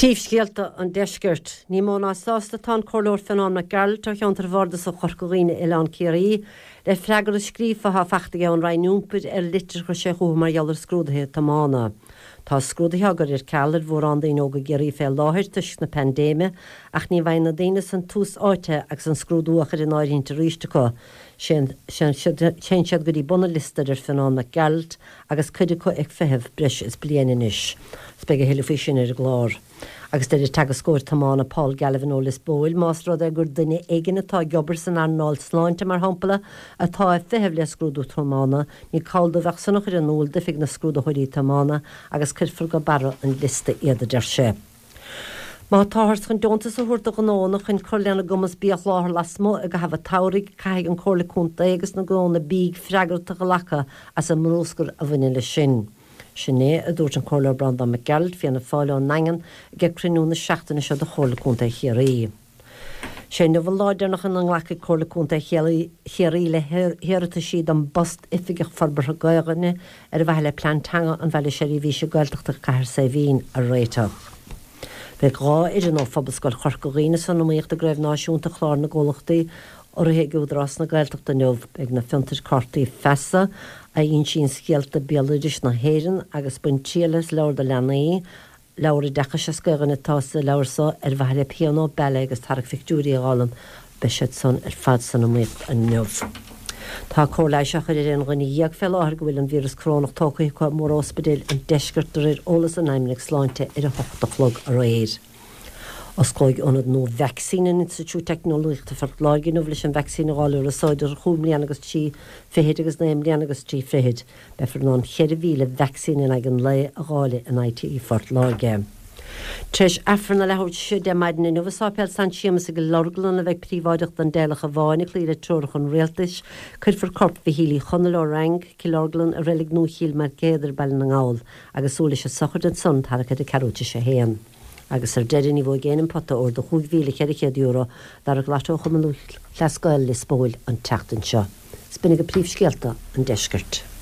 Príomhscéalta an Deiscirt. Ní mó ná sásta atá an Comhairleoir Fionán Mac Gearailt ó cheantar Bhardasach Chorca Dhuibhne Oileán Ciarraí le freagra scríofa atá fachta aige ón Roinn Iompair ar litir a chuir sé chucu mar gheall ar scrúduithe tiomána. Tá scrúduithe á gcur ar ceal ar mhórán daoine óga i gCiarraí fé láthair toisc na paindéime ach ní bhfaigheann na daoine san tús áite agus an scrúdú á chur in áirithint arís acu. Téann siad go dtí bun an liosta a deir Fionán Mac Gearailt agus cuid acu ag feitheamh breis is bliain anois. Is beidh a thuilleadh faoi sin ar an gclár. Agus deir an teagascóir tiomána Paul Galvin ó Lios Póil, más rud é gur duine éigin atá ag obair san earnáil sláinte, mar shampla, atá ag feitheamh le scrúdú tiomána, ní call dóibh ach san a chur in iúl d'Oifig na Scrúdaitheoirí Tiomána agus cuirfear go barra an liosta iad, a deir sé. Má táthar chun deontas a thabhairt do ghnóanna chun cur lena gcumas bia a sholáthar lasmuigh i gcaitheamh an tsamhraidh, caithfidh an Comhairle Contae agus na gnónna bídh freagracht a ghlacadh as an mbrúscar a bhaineann leis sin. Sin é a dúirt an Comhairleoir Breandán Mac Gearailt, Fianna Fáil ón nDaingean, ag cruinniú na seachtaine seo de Chomhairle Contae Chiarraí. Sé inniu an lá deireanach ina nglacfaidh Comhairle Contae Chiarraí le hiarrataisí don bpost Oifigeach Forbartha Gaoluinne ar mhaithe le Plean Teanga an Bhaile Seirbhíse Gaeltachta Cathair Saidhbhín a réiteach. Beidh 2 fhoireann ó Phobalscoil Chorca Dhuibhne san iomaíocht i gCraobh Náisiúnta Chlár na gComhlachtaí urraithe ag Údarás na Gaeltachta inniu. Beidh na fiontair Cártaí Feasa, a insíonn scéalta béaloidis na hÉireann, agus Bain Triail as Leabhar do Leanaí, Leabhar oideachais as Gaelainn atá sa leabhar so ar mhaithe le pianó, ballet agus tarrac phictiúirí a fhoghlaim. Beidh siad san ar fad san iomaíocht inniu. Tá cóir leighis á chur ar aon dhuine dhéag fé láthair go bhfuil an víreas corónach tógtha acu i mór-ospidéil an deiscirt de réir eolas an Fheidhmeannaigh Sláinte ar a hocht a chlog aréir. Osclóidh ionad nua vacsaíne in Institiúid Teicneolaíochta Phort Láirge inniu leis an vacsaín a dháileadh ar anso idir chúig mbliana agus trí fichid agus naoi mbliana agus trí fichid. Beifear in ann 4,000 vacsaín in aghaidh an lae a dháileadh in ITI Phort Láirge. Tar éis Aifreann a leathuair tar éis 10 maidin inniu i Sáipéal San Séamus i gCill Orglan a bheidh príobháideach don dteaghlach i bhfáinne cloí le treoracha an Rialtais, cuirfear corp Mhichíl Uí Chonaill ó Rang, Cill Orglan, i Reilig Nua Chill Maircéadair, Baile na nGall, agus súil leis an sochraid ansan tarraicthe ar a ceathrú tar éis a haon. Agus ar deireadh, ní bhuafaidh éinne an pota óir de €5,400 d'Arraig Lotto Chumann Lúthchleas Gael Lios Póil an tseachtain seo. Is b'in agaibh príomhscéalta an deiscirt.